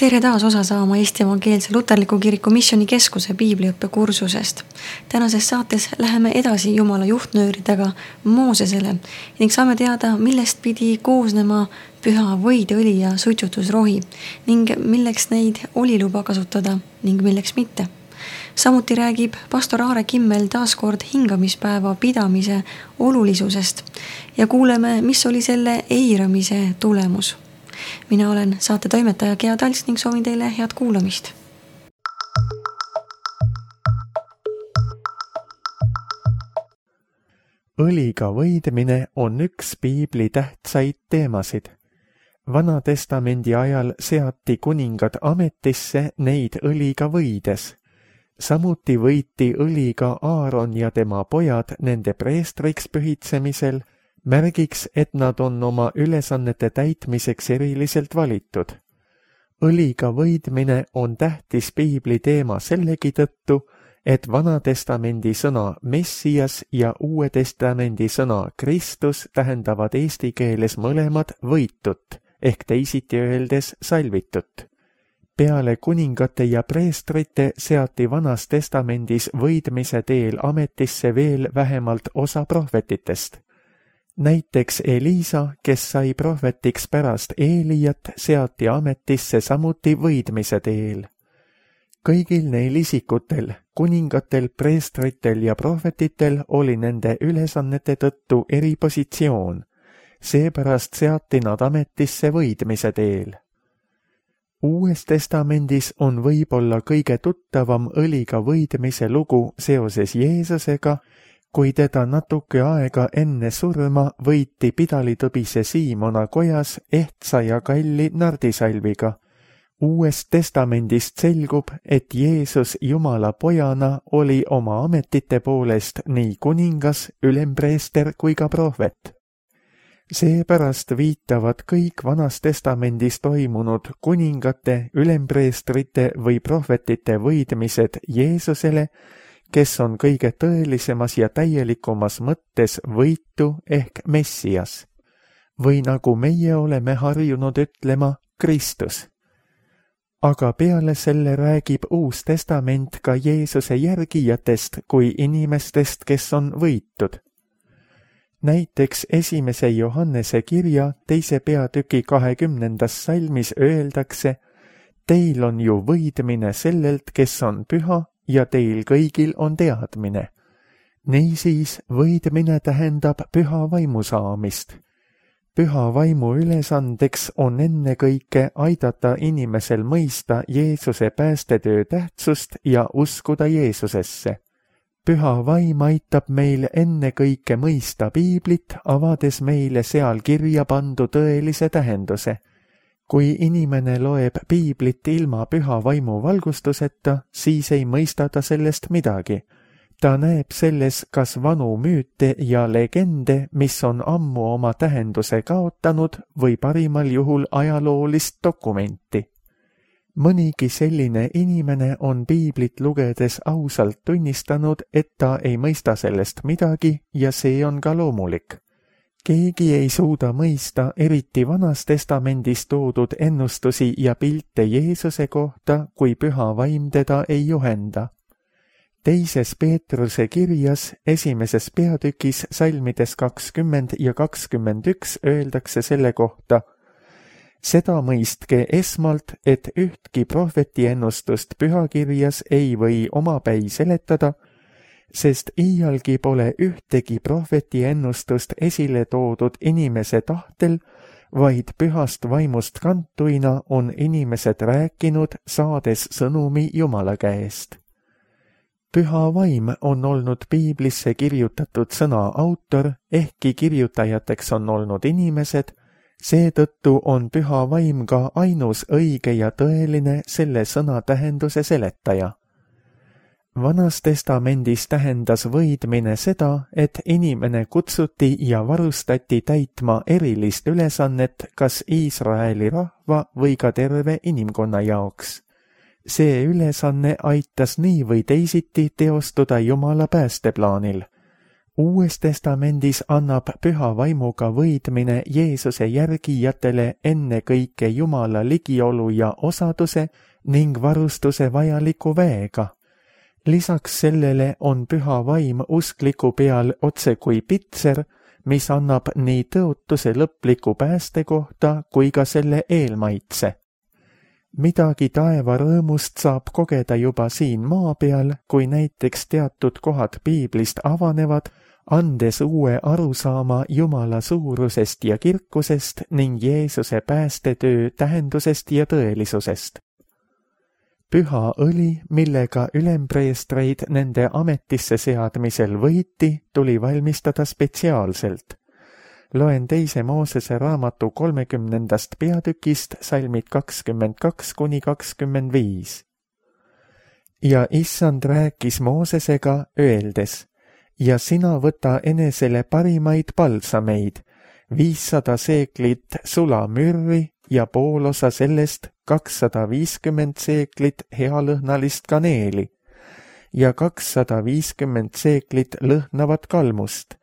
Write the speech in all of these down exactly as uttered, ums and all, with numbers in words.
tere taas osa saama Eesti Evangeelse Luterliku Kiriku Missioonikeskuse piibliõppe kursusest. Tänases saates läheme edasi Jumala juhtnööridega Moosesele ning saame teada, millest pidi koosnema püha võideõli ja suitsutusrohi ning milleks neid oli luba kasutada ning milleks mitte. Samuti räägib pastor Aare Kimmel taaskord hingamispäeva pidamise olulisusest ja kuuleme, mis oli selle eiramise tulemus. Mina olen saate toimetaja Gea Talts ning soovin teile head kuulamist. Õliga võidmine on üks piibli tähtsaid teemasid. Vana testamendi ajal seati kuningad ametisse neid õliga võides. Samuti võiti õliga Aaron ja tema pojad nende preestriks pühitsemisel, märgiks, et nad on oma ülesannete täitmiseks eriliselt valitud. Õliga võidmine on tähtis piibli teema sellegi tõttu, et Vana testamendi sõna Messias ja Uue testamendi sõna Kristus tähendavad eesti keeles mõlemad võitut, ehk teisiti öeldes salvitut. Peale kuningate ja preestrite seati Vanas testamendis võidmise teel ametisse veel vähemalt osa prohvetitest. Näiteks Elisa, kes sai prohvetiks pärast Eelijat, seati ametisse samuti võidmise teel. Kõigil neil isikutel, kuningatel, preestritel ja prohvetitel oli nende ülesannete tõttu eripositsioon. Seepärast seati nad ametisse võidmise teel. Uues testamendis on võib-olla kõige tuttavam õliga võidmise lugu seoses Jeesusega, kui teda natuke aega enne surma võiti pidalitõbise Siimona kojas ehtsa ja kalli nardisalviga. Uuest testamendist selgub, et Jeesus Jumala pojana oli oma ametite poolest nii kuningas, ülempreester kui ka prohvet. Seepärast viitavad kõik Vanas testamendis toimunud kuningate, ülempreestrite või prohvetite võidmised Jeesusele, kes on kõige tõelisemas ja täielikumas mõttes võitu ehk Messias. Või nagu meie oleme harjunud ütlema, Kristus. Aga peale selle räägib Uus testament ka Jeesuse järgijatest kui inimestest, kes on võitud. Näiteks esimese Johannese kirja teise peatüki kahekümnendas salmis öeldakse, teil on ju võidmine sellelt, kes on püha, ja teil kõigil on teadmine. Niisiis võidmine tähendab püha vaimu saamist. Püha vaimu ülesandeks on ennekõike aidata inimesel mõista Jeesuse päästetöö tähtsust ja uskuda Jeesusesse. Püha vaim aitab meil ennekõike mõista piiblit, avades meile seal kirja pandu tõelise tähenduse. Kui inimene loeb piiblit ilma püha vaimu valgustuseta, siis ei mõista ta sellest midagi. Ta näeb selles kas vanu müüte ja legende, mis on ammu oma tähenduse kaotanud või parimal juhul ajaloolist dokumenti. Mõnigi selline inimene on piiblit lugedes ausalt tunnistanud, et ta ei mõista sellest midagi ja see on ka loomulik. Keegi ei suuda mõista eriti Vanas testamendis toodud ennustusi ja pilte Jeesuse kohta, kui püha vaim teda ei juhenda. Teises Peetruse kirjas esimeses peatükis salmides kakskümmend ja kakskümmend üks öeldakse selle kohta, seda mõistke esmalt, et ühtki prohveti ennustust pühakirjas ei või omapäi seletada, sest iialgi pole ühtegi prohveti ennustust esile toodud inimese tahtel, vaid pühast vaimust kantuina on inimesed rääkinud, saades sõnumi Jumala käest. Püha vaim on olnud piiblisse kirjutatud sõna autor, ehkki kirjutajateks on olnud inimesed, seetõttu on püha vaim ka ainus õige ja tõeline selle sõna tähenduse seletaja. Vanas testamendis tähendas võidmine seda, et inimene kutsuti ja varustati täitma erilist ülesannet kas Iisraeli rahva või ka terve inimkonna jaoks. See ülesanne aitas nii või teisiti teostuda Jumala päästeplaanil. Uues testamendis annab püha vaimuga võidmine Jeesuse järgijatele ennekõike Jumala ligiolu ja osaduse ning varustuse vajaliku väega. Lisaks sellele on püha vaim uskliku peal otse kui pitser, mis annab nii tõotuse lõpliku pääste kohta kui ka selle eelmaitse. Midagi taeva rõõmust saab kogeda juba siin maa peal, kui näiteks teatud kohad piiblist avanevad, andes uue arusaama Jumala suurusest ja kirkusest ning Jeesuse päästetöö tähendusest ja tõelisusest. Püha õli, millega ülempreestreid nende ametisse seadmisel võiti, tuli valmistada spetsiaalselt. Loen teise Moosese raamatu kolmekümnendast peatükist salmid kakskümmend kaks kuni kakskümmend viis. Ja issand rääkis Moosesega öeldes, ja sina võta enesele parimaid palsameid, viissada seeklit sulamürri ja poolosa sellest kakssada viiskümmend seeklit healõhnalist kaneeli ja kakssada viiskümmend seeklit lõhnavat kalmust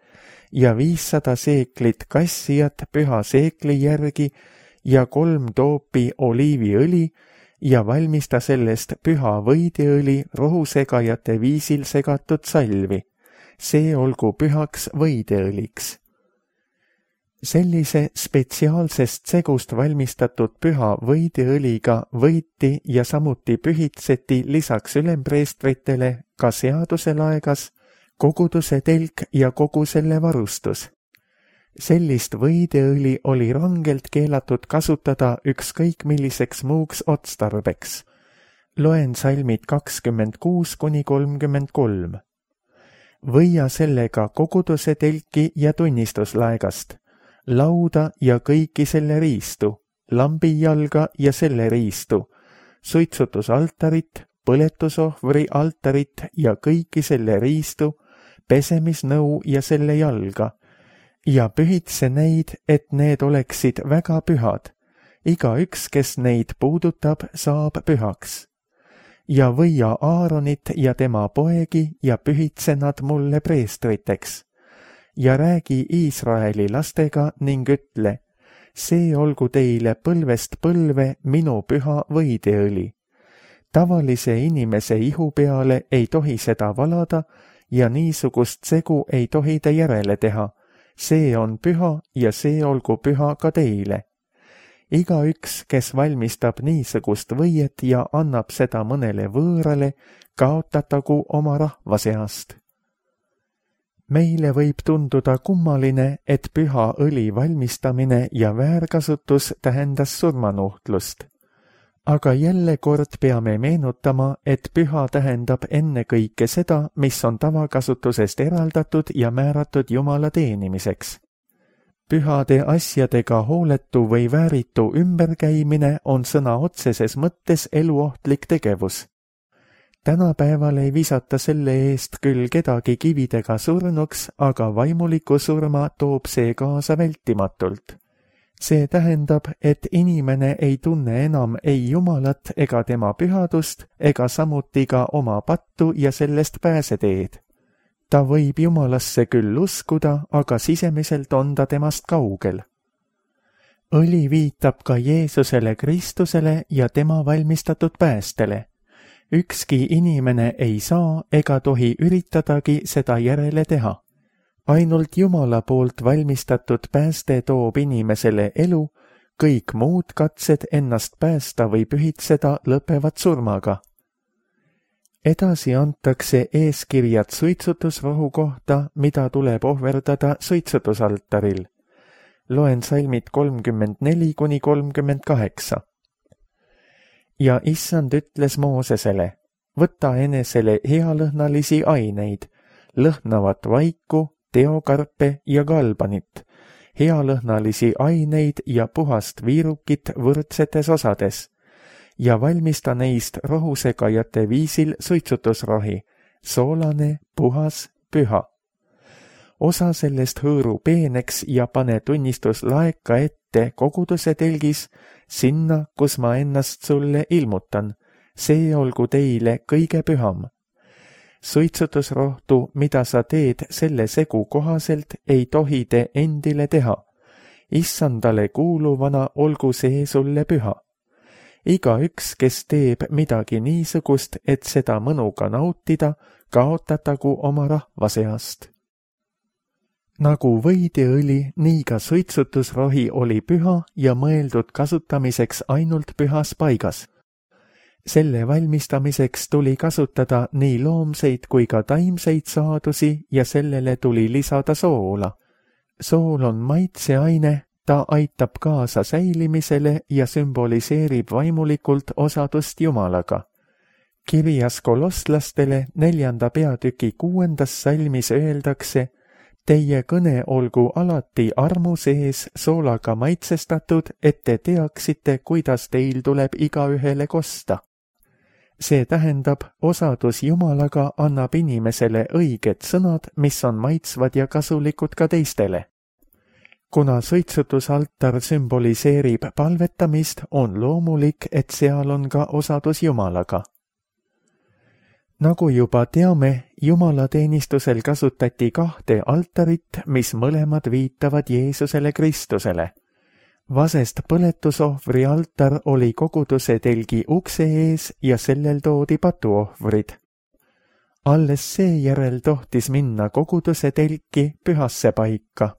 ja viissada seeklit kassijat püha seekli järgi ja kolm toopi oliiviõli ja valmista sellest püha võideõli rohusegajate viisil segatud salvi. See olgu pühaks võideõliks. Sellise spetsiaalsest segust valmistatud püha võideõliga võiti ja samuti pühitseti lisaks ülempreestritele ka seaduselaegas, koguduse telk ja kogu selle varustus. Sellist võideõli oli rangelt keelatud kasutada ükskõik milliseks muuks otstarbeks. Loen salmid kakskümmend kuus kuni kolmkümmend kolm. Võia sellega koguduse telki ja tunnistuslaegast, lauda ja kõiki selle riistu, lambijalga ja selle riistu, suitsutusaltarit, põletusohvri altarit ja kõiki selle riistu, pesemisnõu ja selle jalga, ja pühitse neid, et need oleksid väga pühad. Igaüks, kes neid puudutab, saab pühaks. Ja võia Aaronit ja tema poegi ja pühitse nad mulle preestriteks. Ja räägi Iisraeli lastega ning ütle, see olgu teile põlvest põlve minu püha võideõli. Tavalise inimese ihu peale ei tohi seda valada ja niisugust segu ei tohi te järele teha. See on püha ja see olgu püha ka teile. Igaüks, kes valmistab niisugust võiet ja annab seda mõnele võõrale, kaotatagu oma rahva seast. Meile võib tunduda kummaline, et püha õli valmistamine ja väärkasutus tähendas surmanuhtlust. Aga jälle kord peame meenutama, et püha tähendab ennekõike seda, mis on tavakasutusest eraldatud ja määratud Jumala teenimiseks. Pühade asjadega hooletu või vääritu ümberkäimine on sõna otseses mõttes eluohtlik tegevus. Tänapäeval ei visata selle eest küll kedagi kividega surnuks, aga vaimuliku surma toob see kaasa vältimatult. See tähendab, et inimene ei tunne enam ei Jumalat ega tema pühadust ega samuti ka oma pattu ja sellest pääseteed. Ta võib Jumalasse küll uskuda, aga sisemiselt on ta temast kaugel. Õli viitab ka Jeesusele Kristusele ja tema valmistatud päästele. Ükski inimene ei saa ega tohi üritadagi seda järele teha. Ainult Jumala poolt valmistatud pääste toob inimesele elu, kõik muud katsed ennast päästa või pühitseda lõpevad surmaga. Edasi antakse eeskirjad suitsutusrohu kohta, mida tuleb ohverdada suitsutusaltaril. Loen salmid kolmkümmend neli kuni kolmkümmend kaheksa. Ja issand ütles Moosesele, võta enesele healõhnalisi aineid, lõhnavat vaiku, teokarpe ja galbanit, healõhnalisi aineid ja puhast viirukit võrdsetes osades, ja valmista neist rohusegajate viisil suitsutusrohi, soolane, puhas, püha. Osa sellest hõõru peeneks ja pane tunnistuslaeka ette koguduse telgis, sinna, kus ma ennast sulle ilmutan, see olgu teile kõige püham. suitsutusrohtu, mida sa teed selle segu kohaselt, ei tohi te endile teha. Issandale kuuluvana olgu see sulle püha. Igaüks, kes teeb midagi niisugust, et seda mõnuga nautida, kaotatagu oma rahva seast. Nagu võideõli, nii ka suitsutusrohi oli püha ja mõeldud kasutamiseks ainult pühas paigas. Selle valmistamiseks tuli kasutada nii loomseid kui ka taimseid saadusi ja sellele tuli lisada soola. Sool on maitseaine, ta aitab kaasa säilimisele ja sümboliseerib vaimulikult osadust Jumalaga. Kirjas kolosslastele neljanda peatüki kuuendas salmis öeldakse: Teie kõne olgu alati armu sees soolaga maitsestatud, et te teaksite, kuidas teil tuleb igaühele kosta. See tähendab, osadus Jumalaga annab inimesele õiged sõnad, mis on maitsvad ja kasulikud ka teistele. Kuna suitsutusaltar sümboliseerib palvetamist, on loomulik, et seal on ka osadus Jumalaga. Nagu juba teame, jumalateenistusel kasutati kahte altarit, mis mõlemad viitavad Jeesusele Kristusele. Vasest põletusohvri altar oli koguduse telgi ukse ees ja sellel toodi patuohvrid. Alles seejärel tohtis minna koguduse telki pühasse paika.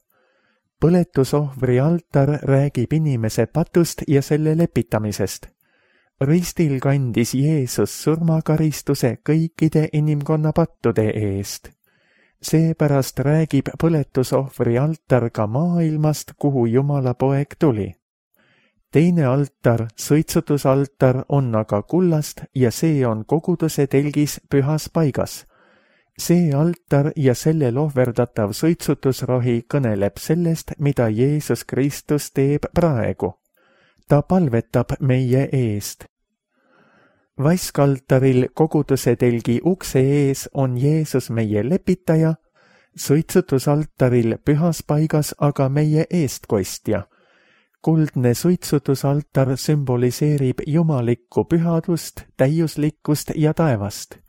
Põletusohvri altar räägib inimese patust ja selle lepitamisest. Ristil kandis Jeesus surmakaristuse kõikide inimkonna pattude eest. Seepärast räägib põletusohvri altar ka maailmast, kuhu Jumala poeg tuli. Teine altar, suitsutusaltar, on aga kullast ja see on koguduse telgis pühas paigas. See altar ja sellel ohverdatav suitsutusrohi kõneleb sellest, mida Jeesus Kristus teeb praegu. Ta palvetab meie eest. Vaskaltaril koguduse telgi ukse ees on Jeesus meie lepitaja, suitsutusaltaril pühas paigas aga meie eestkostja. Kuldne suitsutusaltar sümboliseerib jumalikku pühadust, täiuslikkust ja taevast.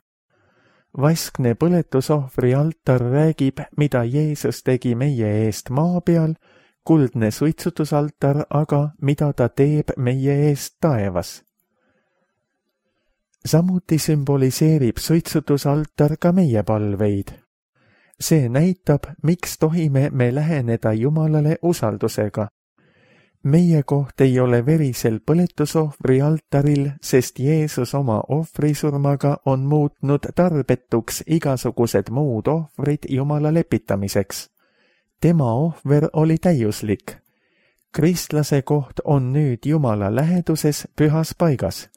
Vaskne põletusohvri altar räägib, mida Jeesus tegi meie eest maa peal, kuldne suitsutusaltar aga, mida ta teeb meie eest taevas. Samuti sümboliseerib suitsutusaltar ka meie palveid. See näitab, miks tohime me läheneda Jumalale usaldusega. Meie koht ei ole verisel põletusohvri altaril, sest Jeesus oma ohvrisurmaga on muutnud tarbetuks igasugused muud ohvrid Jumala lepitamiseks. Tema ohver oli täiuslik. Kristlase koht on nüüd Jumala läheduses pühas paigas.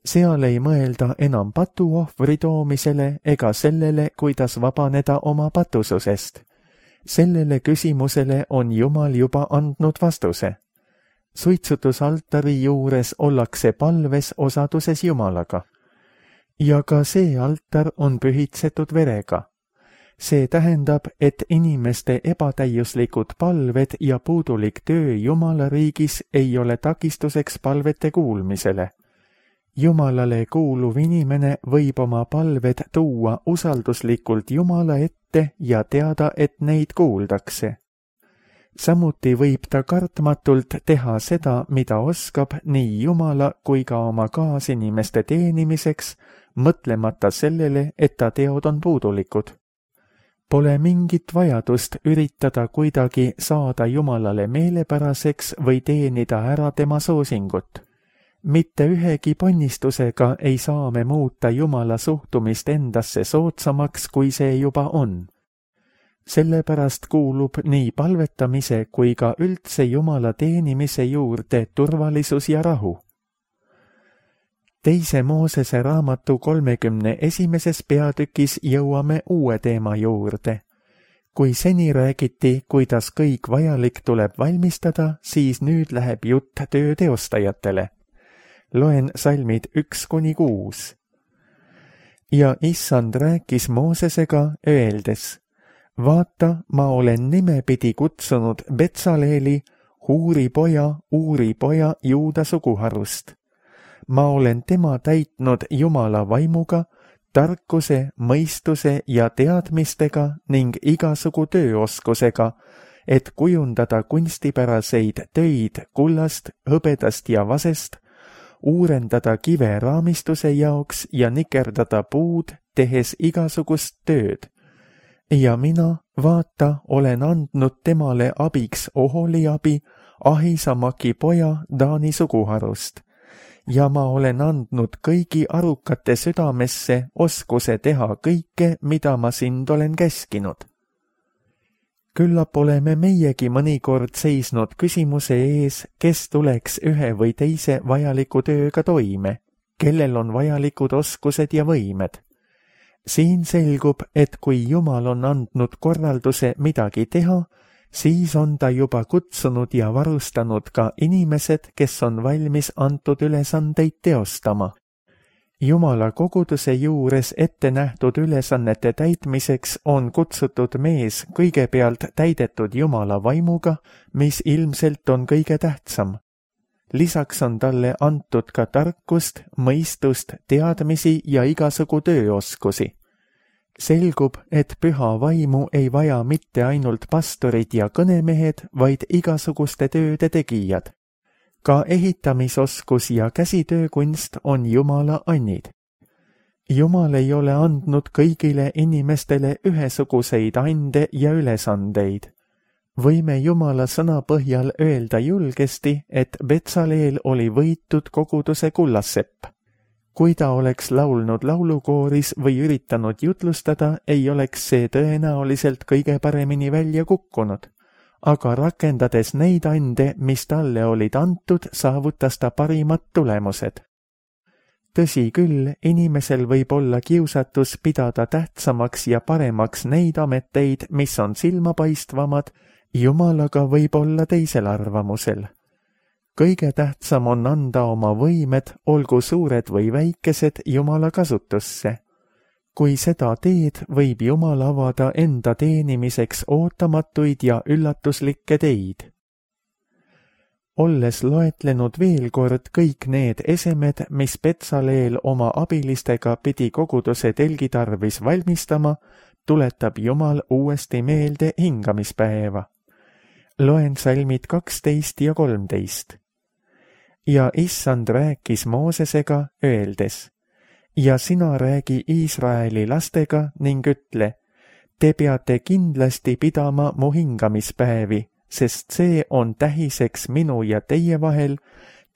Seal ei mõelda enam patuohvri toomisele ega sellele, kuidas vabaneda oma patususest. Sellele küsimusele on Jumal juba andnud vastuse. Suitsutusaltari juures ollakse palves osaduses Jumalaga. Ja ka see altar on pühitsetud verega. See tähendab, et inimeste ebatäiuslikud palved ja puudulik töö Jumala riigis ei ole takistuseks palvete kuulmisele. Jumalale kuuluv inimene võib oma palved tuua usalduslikult Jumala ette ja teada, et neid kuuldakse. Samuti võib ta kartmatult teha seda, mida oskab nii Jumala kui ka oma kaasinimeste teenimiseks, mõtlemata sellele, et ta teod on puudulikud. Pole mingit vajadust üritada kuidagi saada Jumalale meelepäraseks või teenida ära tema soosingut. Mitte ühegi ponnistusega ei saa me muuta Jumala suhtumist endasse soodsamaks, kui see juba on. Sellepärast kuulub nii palvetamise kui ka üldse Jumala teenimise juurde turvalisus ja rahu. Teise Moosese raamatu kolmekümne esimeses peatükis jõuame uue teema juurde. Kui seni räägiti, kuidas kõik vajalik tuleb valmistada, siis nüüd läheb jutt töö teostajatele. Loen salmid üks kuni kuus. Ja issand rääkis Moosesega öeldes: Vaata, ma olen nimepidi kutsunud Betsaleeli, Huuri poja, Uuri poja Juuda suguharust. Ma olen tema täitnud Jumala vaimuga, tarkuse, mõistuse ja teadmistega ning igasugu tööoskusega, et kujundada kunstipäraseid töid kullast, hõbedast ja vasest, uurendada kive raamistuse jaoks ja nikerdada puud, tehes igasugust tööd. Ja mina, vaata, olen andnud temale abiks Oholiabi, Ahisamaki poja Taani suguharust. Ja ma olen andnud kõigi arukate südamesse oskuse teha kõike, mida ma sind olen käskinud. Küllap oleme meiegi mõnikord seisnud küsimuse ees, kes tuleks ühe või teise vajaliku tööga toime, kellel on vajalikud oskused ja võimed. Siin selgub, et kui Jumal on andnud korralduse midagi teha, siis on ta juba kutsunud ja varustanud ka inimesed, kes on valmis antud ülesandeid teostama. Jumala koguduse juures ette nähtud ülesannete täitmiseks on kutsutud mees kõigepealt täidetud Jumala vaimuga, mis ilmselt on kõige tähtsam. Lisaks on talle antud ka tarkust, mõistust, teadmisi ja igasugu tööoskusi. Selgub, et püha vaimu ei vaja mitte ainult pastorid ja kõnemehed, vaid igasuguste tööde tegijad. Ka ehitamisoskus ja käsitöökunst on Jumala annid. Jumal ei ole andnud kõigile inimestele ühesuguseid ande ja ülesandeid. Võime Jumala sõna põhjal öelda julgesti, et Betsaleel oli võitud koguduse kullassepp. Kui ta oleks laulnud laulukooris või üritanud jutlustada, ei oleks see tõenäoliselt kõige paremini välja kukkunud. Aga rakendades neid ande, mis talle olid antud, saavutas ta parimad tulemused. Tõsi küll, inimesel võib olla kiusatus pidada tähtsamaks ja paremaks neid ameteid, mis on silmapaistvamad, Jumalaga võib olla teisel arvamusel. Kõige tähtsam on anda oma võimed, olgu suured või väikesed, Jumala kasutusse. Kui seda teed, võib Jumal avada enda teenimiseks ootamatuid ja üllatuslikke teid. Olles loetlenud veel kord kõik need esemed, mis Betsaleel oma abilistega pidi koguduse telgi tarvis valmistama, tuletab Jumal uuesti meelde hingamispäeva. Loen salmid kaksteist ja kolmteist. Ja issand rääkis Moosesega, öeldes: ja sina räägi Iisraeli lastega ning ütle, te peate kindlasti pidama mu hingamispäevi, sest see on tähiseks minu ja teie vahel,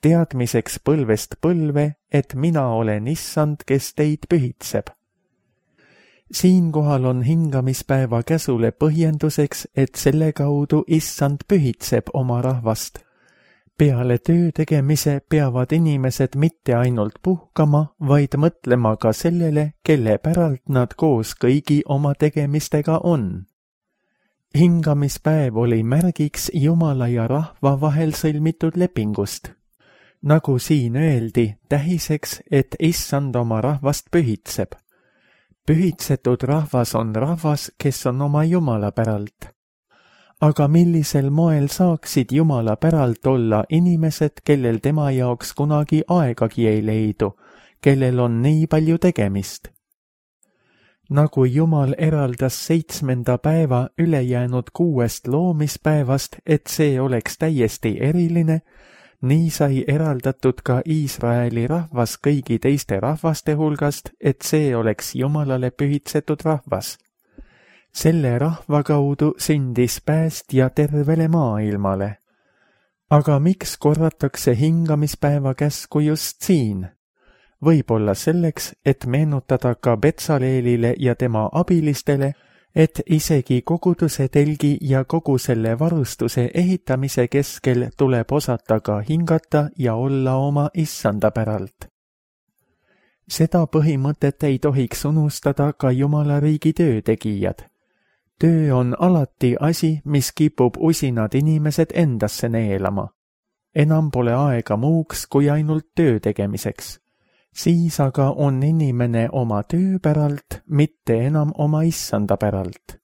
teadmiseks põlvest põlve, et mina olen issand, kes teid pühitseb. Siinkohal on hingamispäeva käsule põhjenduseks, et selle kaudu issand pühitseb oma rahvast. Peale töö tegemise peavad inimesed mitte ainult puhkama, vaid mõtlema ka sellele, kelle päralt nad koos kõigi oma tegemistega on. Hingamispäev oli märgiks Jumala ja rahva vahel sõlmitud lepingust. Nagu siin öeldi, tähiseks, et issand oma rahvast pühitseb. Pühitsetud rahvas on rahvas, kes on oma Jumala päralt. Aga millisel moel saaksid Jumala päralt olla inimesed, kellel tema jaoks kunagi aegagi ei leidu, kellel on nii palju tegemist? Nagu Jumal eraldas seitsmenda päeva ülejäänud kuuest loomispäevast, et see oleks täiesti eriline, nii sai eraldatud ka Iisraeli rahvas kõigi teiste rahvaste hulgast, et see oleks Jumalale pühitsetud rahvas. Selle rahva kaudu sündis päästja tervele maailmale. Aga miks korratakse hingamispäeva käsku just siin? Võib-olla selleks, et meenutada ka Betsaleelile ja tema abilistele, et isegi koguduse telgi ja kogu selle varustuse ehitamise keskel tuleb osata ka hingata ja olla oma issanda päralt. Seda põhimõtet ei tohiks unustada ka Jumala riigi töötegijad. Töö on alati asi, mis kipub usinad inimesed endasse neelama. Enam pole aega muuks kui ainult töö tegemiseks. Siis aga on inimene oma töö päralt, mitte enam oma issanda päralt.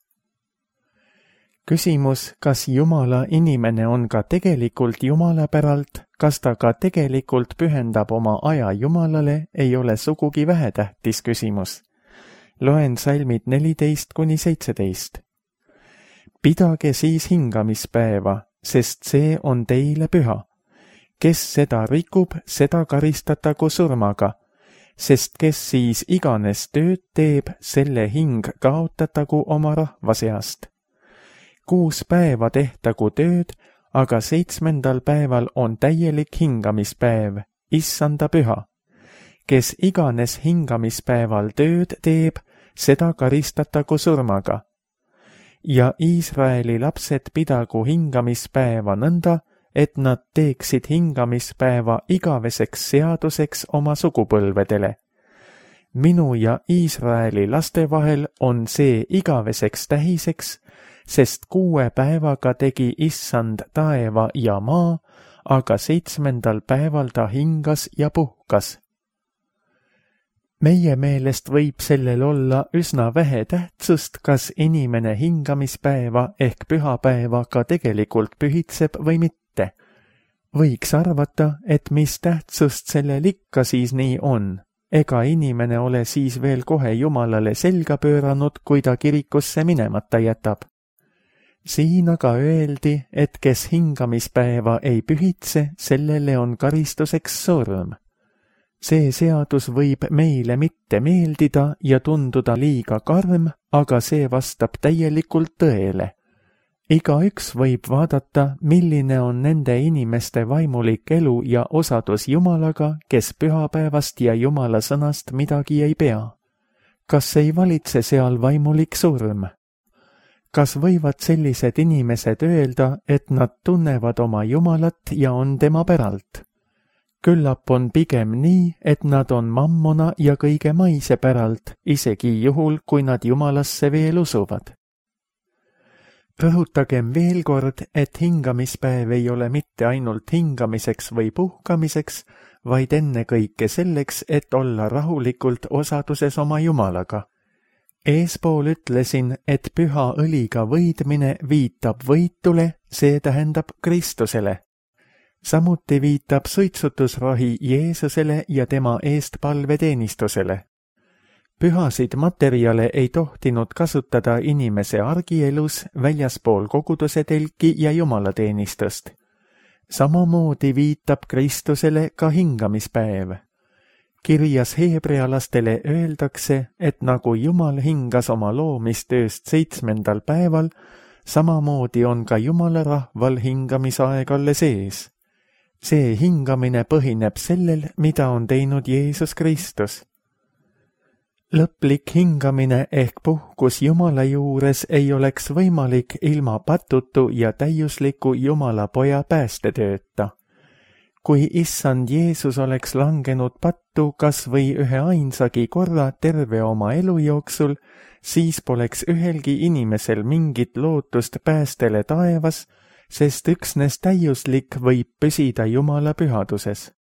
Küsimus, kas Jumala inimene on ka tegelikult Jumala päralt, kas ta ka tegelikult pühendab oma aja Jumalale, ei ole sugugi vähetähtis küsimus. Loen salmid neliteist kuni seitseteist. Pidage siis hingamispäeva, sest see on teile püha. Kes seda rikub, seda karistatagu surmaga, sest kes siis iganes tööd teeb, selle hing kaotatagu oma rahva seast. Kuus päeva tehtagu tööd, aga seitsmendal päeval on täielik hingamispäev, issanda püha. Kes iganes hingamispäeval tööd teeb, seda karistatagu surmaga. Ja Iisraeli lapsed pidagu hingamispäeva nõnda, et nad teeksid hingamispäeva igaveseks seaduseks oma sugupõlvedele. Minu ja Iisraeli laste vahel on see igaveseks tähiseks, sest kuue päevaga tegi issand taeva ja maa, aga seitsmendal päeval ta hingas ja puhkas. Meie meelest võib sellel olla üsna vähe tähtsust, kas inimene hingamispäeva ehk pühapäeva ka tegelikult pühitseb või mitte. Võiks arvata, et mis tähtsust sellel ikka siis nii on. Ega inimene ole siis veel kohe Jumalale selga pööranud, kui ta kirikusse minemata jätab. Siin aga öeldi, et kes hingamispäeva ei pühitse, sellele on karistuseks surm. See seadus võib meile mitte meeldida ja tunduda liiga karm, aga see vastab täielikult tõele. Igaüks võib vaadata, milline on nende inimeste vaimulik elu ja osadus Jumalaga, kes pühapäevast ja Jumala sõnast midagi ei pea. Kas ei valitse seal vaimulik surm? Kas võivad sellised inimesed öelda, et nad tunnevad oma Jumalat ja on tema päralt? Küllap on pigem nii, et nad on mammona ja kõige maise päralt, isegi juhul, kui nad Jumalasse veel usuvad. Rõhutagem veel kord, et hingamispäev ei ole mitte ainult hingamiseks või puhkamiseks, vaid ennekõike selleks, et olla rahulikult osaduses oma Jumalaga. Eespool ütlesin, et püha õliga võidmine viitab võitule, see tähendab Kristusele. Samuti viitab suitsutusrohi Jeesusele ja tema eestpalveteenistusele. Pühasid materjale ei tohtinud kasutada inimese argielus väljaspool koguduse telki ja jumalateenistust. Samamoodi viitab Kristusele ka hingamispäev. Kirjas heebrealastele öeldakse, et nagu Jumal hingas oma loomistööst seitsmendal päeval, samamoodi on ka Jumala rahval hingamisaeg alles ees. See hingamine põhineb sellel, mida on teinud Jeesus Kristus. Lõplik hingamine ehk puhkus Jumala juures ei oleks võimalik ilma patutu ja täiusliku Jumala poja päästetööta. Kui issand Jeesus oleks langenud pattu kas või ühe ainsagi korra terve oma elu jooksul, siis poleks ühelgi inimesel mingit lootust päästele taevas, sest üksnes täiuslik võib püsida Jumala pühaduses.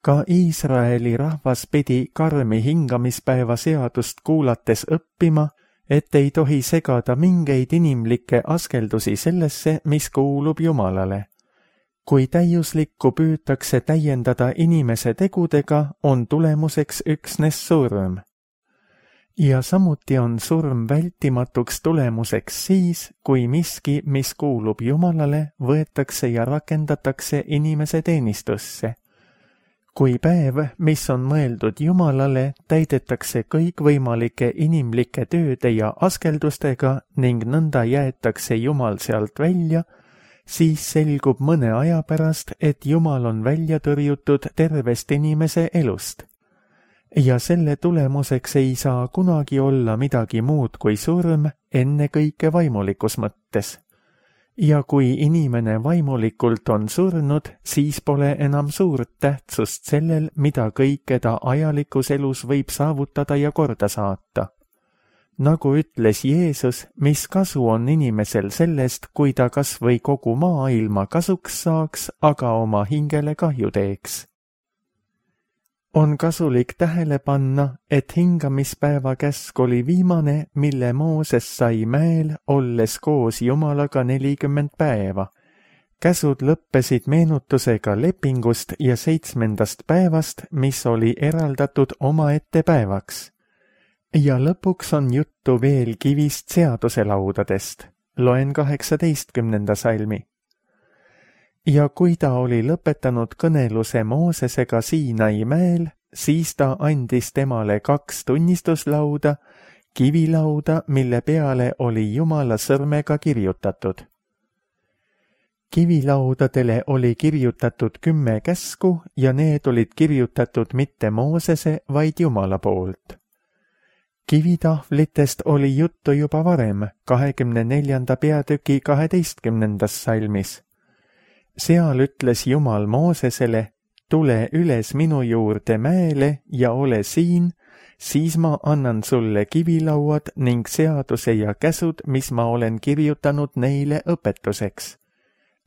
Ka Iisraeli rahvas pidi karmi hingamispäeva seadust kuulates õppima, et ei tohi segada mingeid inimlikke askeldusi sellesse, mis kuulub Jumalale. Kui täiuslikku püütakse täiendada inimese tegudega, on tulemuseks üksnes surm. Ja samuti on surm vältimatuks tulemuseks siis, kui miski, mis kuulub Jumalale, võetakse ja rakendatakse inimese teenistusse. Kui päev, mis on mõeldud Jumalale, täidetakse kõikvõimalike inimlike tööde ja askeldustega ning nõnda jäetakse Jumal sealt välja, siis selgub mõne aja pärast, et Jumal on välja tõrjutud tervest inimese elust. Ja selle tulemuseks ei saa kunagi olla midagi muud kui surm, ennekõike vaimulikus mõttes. Ja kui inimene vaimulikult on surnud, siis pole enam suurt tähtsust sellel, mida kõike ta ajalikus elus võib saavutada ja korda saata. Nagu ütles Jeesus, mis kasu on inimesel sellest, kui ta kas või kogu maailma kasuks saaks, aga oma hingele kahju teeks. On kasulik tähele panna, et hingamispäeva käsk oli viimane, mille Mooses sai mäel, olles koos Jumalaga nelikümmend päeva. Käsud lõppesid meenutusega lepingust ja seitsmendast päevast, mis oli eraldatud omaette päevaks. ja lõpuks on juttu veel kivist seaduselaudadest. Loen kaheksateistkümnenda salmi. Ja kui ta oli lõpetanud kõneluse Moosesega Siinai mäel, siis ta andis temale kaks tunnistuslauda, kivilauda, mille peale oli Jumala sõrmega kirjutatud. Kivilaudadele oli kirjutatud kümme käsku ja need olid kirjutatud mitte Moosese, vaid Jumala poolt. Kivitahvlitest oli juttu juba varem, kahekümne neljanda peatüki kaheteistkümnendas salmis. Seal ütles Jumal Moosesele, tule üles minu juurde mäele ja ole siin, siis ma annan sulle kivilauad ning seaduse ja käsud, mis ma olen kirjutanud neile õpetuseks.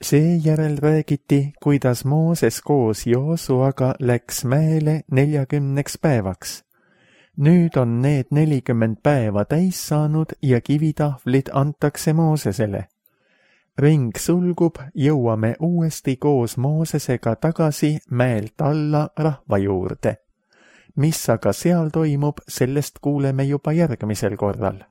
Seejärel räägiti, kuidas Mooses koos Joosuaga läks mäele neljakümneks päevaks. Nüüd on need nelikümmend päeva täis saanud ja kivitahvlid antakse Moosesele. Ring sulgub, jõuame uuesti koos Moosesega tagasi mäelt alla rahva juurde. Mis aga seal toimub, sellest kuuleme juba järgmisel korral.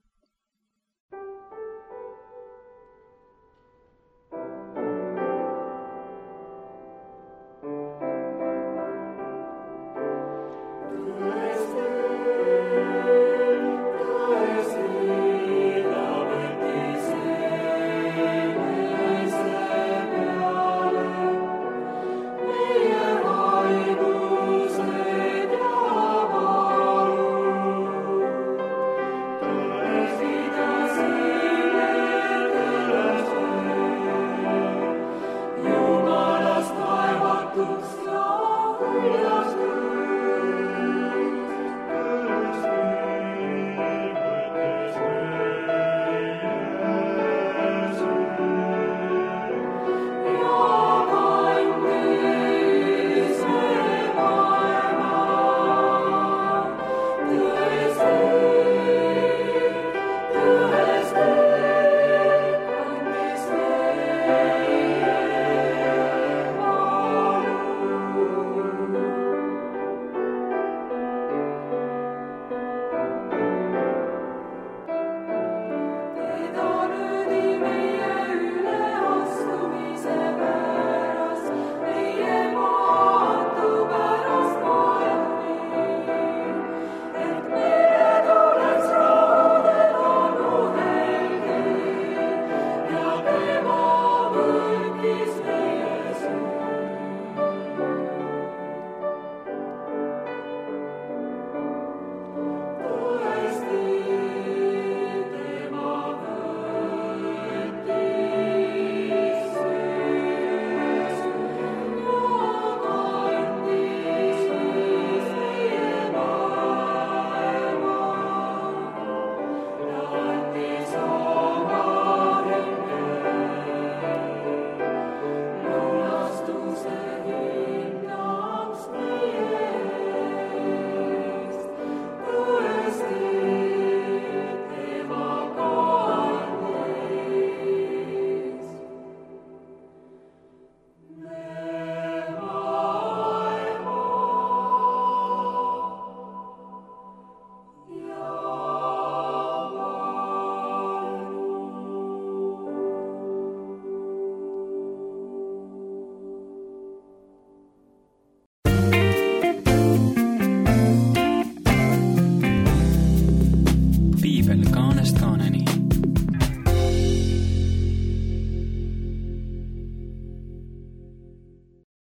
Piibel kaanest kaaneni.